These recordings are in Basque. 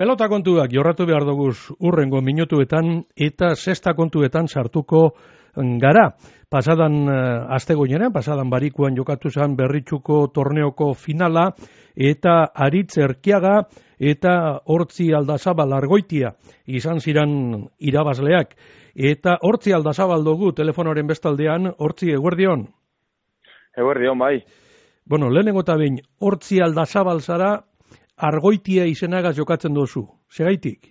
Pelota kontuak jorratu behar duguz urrengo minutuetan eta sexta kontuetan sartuko gara. Pasadan astegoinean, pasadan barikuan jokatu zen Berritxuko torneoko finala eta Aritz Erkiaga eta Hortzi Aldazabal Argoitia izan ziren irabazleak. Eta Hortzi Aldazabal dugu telefonoren bestaldean. Hortzi, eguerdion? Eguerdion, bai. Bueno, lehenengo eta behin, Hortzi Aldazabal zara, Argoitia izenagaz jokatzen duzu. Segaitik?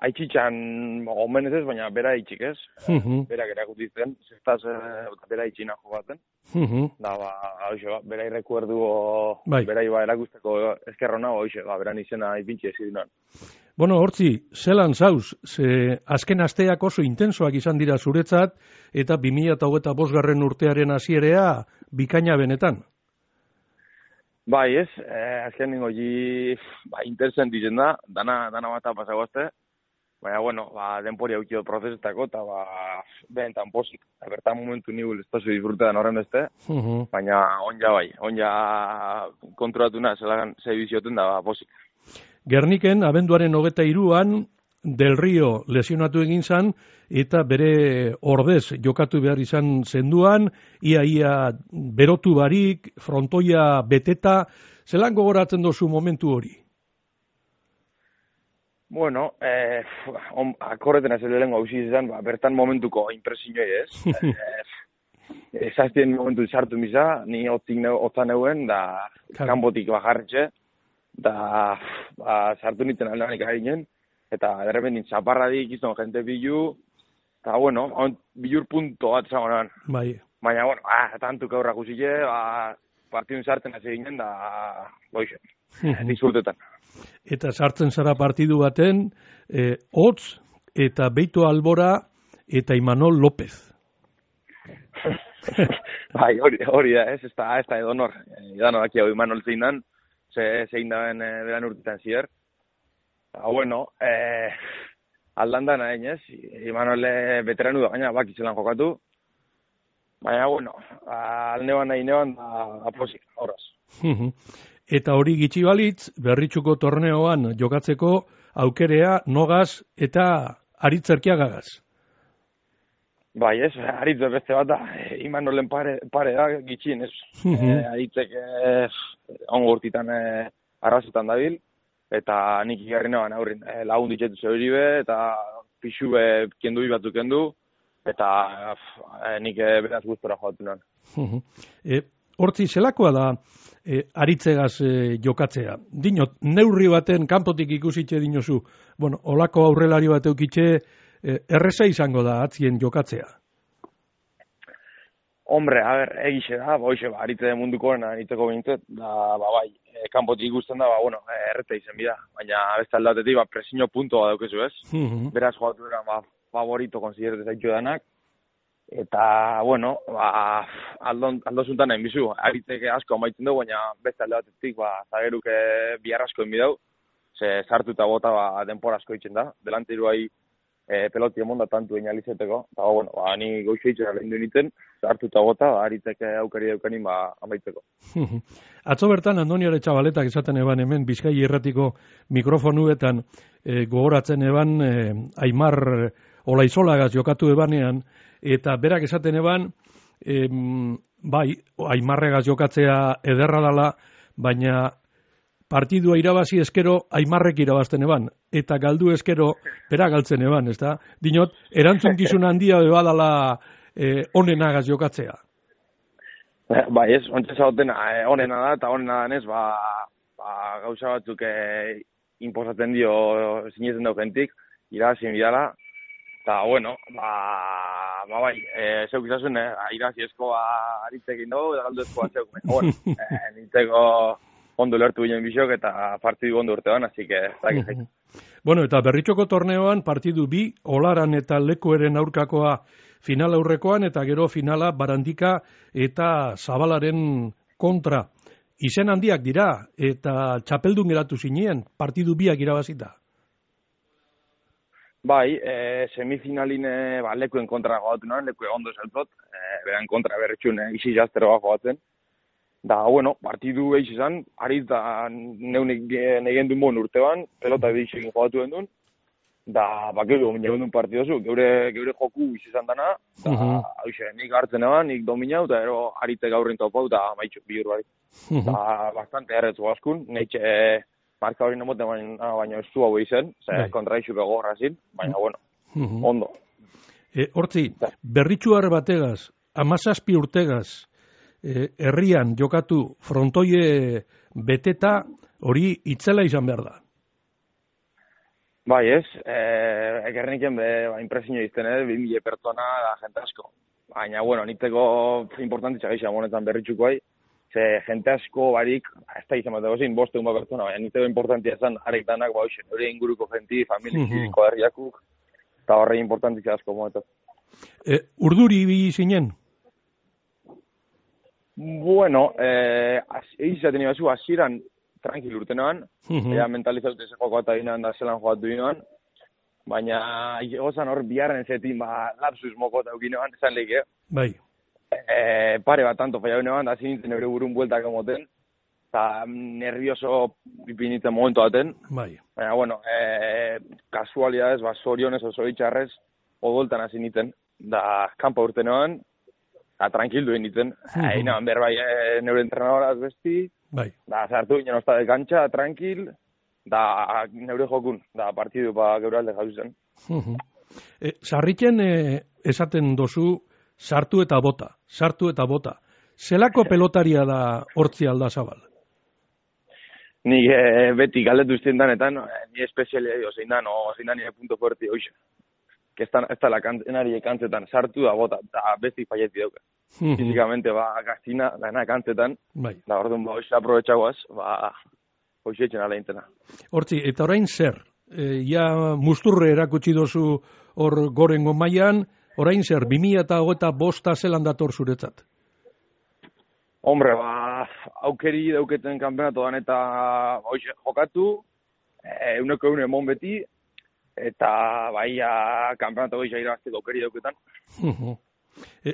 Aitzitxan omenez ez, baina bera itxik ez. Berak erakutitzen, zestaz bera itxina jokatzen. Da, bera irrekuerdu, bera iba erakusteko eskerrona, beran izena ipintxe ezidunan. Bueno, Hortzi, zelan zauz, azken asteak oso intensoak izan dira zuretzat, eta 2025 urtearen hasierea bikaina benetan. Bai, ez, azken ningo interesen ditzen da, dana bat pasagoazte, baina, bueno, denpori haukio prozesetako, eta behentan posik. Bertan momentu nigul espazu disfrutetan horren beste, baina onja kontrolatuna ze bizioten da posik. Gerniken, abenduaren 23an, Del Rio lesionatu egin zan, eta bere ordez jokatu behar izan zenduan, ia berotu barik, frontoia beteta, zelan gogoratzen dozu momentu hori? Bueno, akorreten ez lehenko hausi izan, bertan momentuko impresioi ez. Ezaztien momentu sartu misa, ni otzan euen, da kanbotik bajarretxe, da sartu nintzen aldanik harinen, eta derrepentin zaparradik izan jente bilu, eta bueno, bilur punto bat zagonan. Bai. Baina, bueno, tantuk aurrak usile, partidun sartzen hasi ginen, da, disfrutetan. Eta sartzen zara partidu baten, Hotz eta Beito Albora eta Imanol López. Bai, hori da, ez da edonor. Edano daki hau Imanol zein zein daben beran urtetan zier. Bueno, aldandan hain ez, Imanole veteranu da gaina bakizelan jokatu, baina, bueno, alneban nahi neban aposik, horraz. Eta hori gitxi balitz, Berritxuko torneoan jokatzeko aukerea nogaz eta Aritz Erkiagagaz. Bai, ez, Aritz beste bat da, Imanolen pare da gitxien, ez. Aritzek ongo urtitan arrazetan dabil, eta nik igarri neban aurrin lagun ditzetu zeberi be, eta pixu kendu batzuk kendu, eta nik beraz gustora joatu nan. Hortzi, zelakoa da Aritzegaz jokatzea? Dinot, neurri baten kanpotik ikusitxe dinozu, bueno, olako aurrelari bat eukitxe, erreza izango da atzien jokatzea? Hombre, egixe da, Aritze mundukoen anitzeko bintzet, da, bai, kanpotik ikusten da, erreta izen bida, baina beste aldatetik, presiño puntoa daukezu ez, beraz joatu era, favorito konsiderete zaitu danak, eta, bueno, aldozuntan nahi bizu, Aritzek asko amaitzen dugu, baina beste aldatetik, zageruk biarrasko enbidau, ze sartu eta bota denpora asko itzen da, delanteruai peloti emonda tantu einalizeteko, eta, bueno, ni goizu itxera lehen du nintzen, hartu eta gota, Aritzek aukari daukanin amaitzeko. Atzo bertan, Andoni Aretxabaletak esaten eban hemen, Bizkai Irratiko mikrofonuetan gogoratzen eban, Aimar Olaizolagaz jokatu ebanean, eta berak esaten eban, bai, Aimarregaz jokatzea ederra dala, baina partidua irabazi eskero Aimarrek irabazten eban, eta galdu eskero bera galtzen eban, ezta? Dinot, erantzunkizun handia bebadala onenagaz jokatzea. Bai, ez, ontsa zautena onena da, eta onena danez, gauza batzuk inposatzen dio sinetzen dau gentik, irabazien bidala, eta, bueno, bai, zeuk izazun, irabazi esko Aritzekin dugu, eta galdu eskoa zeuk, bueno, nintzeko ondo lertu ginen bisok eta partidu ondo urtean, así que ez. Bueno, eta Berritxoko torneoan partidu bi, Olaran eta Lekueren aurkakoa final aurrekoan, eta gero finala Barandika eta Zabalaren kontra. Izen handiak dira, eta txapeldun geratu zinien, partidu biak irabazita. Bai, semifinalin Lekuen kontra jogatu nuen, Lekue ondo zeltot, beran kontra Berritxun izi jaztero jogatzen. Da, bueno, partidu eix izan, ariz da neunik negen duen bon urtean, pelota edixekin jogatu den duen, da, bakeu duen partidozu, geure joku izan dana, da, hauxe, nik hartzen eban, nik dominau, eta ero arite gaurrin topau, da, maitxu, bihur barik. Da, bastante erretzu askun, neitxe marka hori nemote baina ez zu hau izen, kontraixu begorra zin, baina, bueno, ondo. Hortzi, berritxuar bategaz, 17 urtegaz, herrian jokatu frontoie beteta hori itzela izan behar da. Bai ez, ekerniken impresinio izten, 2000 pertsona da jente asko. Baina, bueno, niteko importantitza gaixa monetan berritxuko ze jente asko barik, ez da izan bat egozin, 5 pertsona, baina niteko importantia zan, arek danak, hori inguruko jenti, familiko herriakuk, eta horre importantitza asko monetan. Urduri bi zinen? Bueno, egizaten ibazu, hasieran tranquil urtenoan, mentalizaute ze joko eta ginen da zelan jokatu ginoan, baina gozan hor biharren zetin, lapsus moko eta ukinoan, esan lehik, Bai. Pare bat tanto falla ginoan, da zinintzen eure burun bueltak emoten, eta nervioso ipinitzen momentu baten. Bai. Baina, bueno, kasualidades, zorionez oso itxarrez, odoltan hasi nintzen, da kanpa urtenoan, tranquildu egin Hain berbai neure entrenadoraz besti, da zartu ginen osta de kantxa, tranquil, da neure jokun, da partidu geure alde jau zen. Sarritzen esaten dozu sartu eta bota. Zelako pelotaria da Hortzi Aldazabal? Nik beti galdetu izten danetan, ni espezialia dio, zein da nire punto fuerte hoxe. Ez da la kantenari kantzetan, sartu da bota, da besti falleti dauka. Fizikamente, gaztina, dana kantzetan, da orduan, hoxe aprobetxagoaz, hoxe etxen ala intena. Hortzi, eta orain zer? Ja musturre erakutsi dozu hor gorengo mailan, orain zer, 2025 zelan dator zuretzat? Hombre, aukeri dauketen kanpenatoan eta hoxe jokatu, euneko emon beti, eta kanpenato goiza irabazteko aukeri dauketan.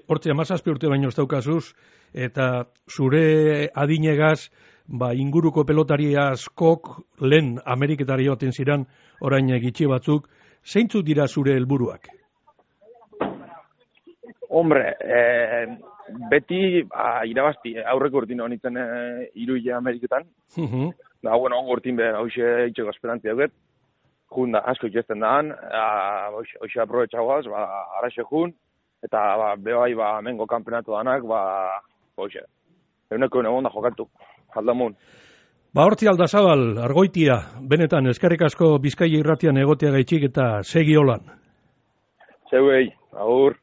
Hortzi, 17 urte baino ez daukazuz, eta zure adinegaz, inguruko pelotari askok lehen Ameriketari baten ziren, orain gitxi batzuk, zeintzuk dira zure helburuak? Hombre, beti irabazti, aurreko urtin honitzen iruile Ameriketan. Da, bueno, ongo urtin behar, hauxe itxeko esperantzia duket. Junda, asko itxesten daan, hoxe aprobetxagoaz, araxe jun, eta behai mengo kampeonatu danak, hoxe, euneko egun da jokatu, aldamun. Hortzi Aldazabal, Argoitia, benetan, eskerrik asko Bizkaia irratian egotea gaitxik eta segi holan. Zeuei, agur.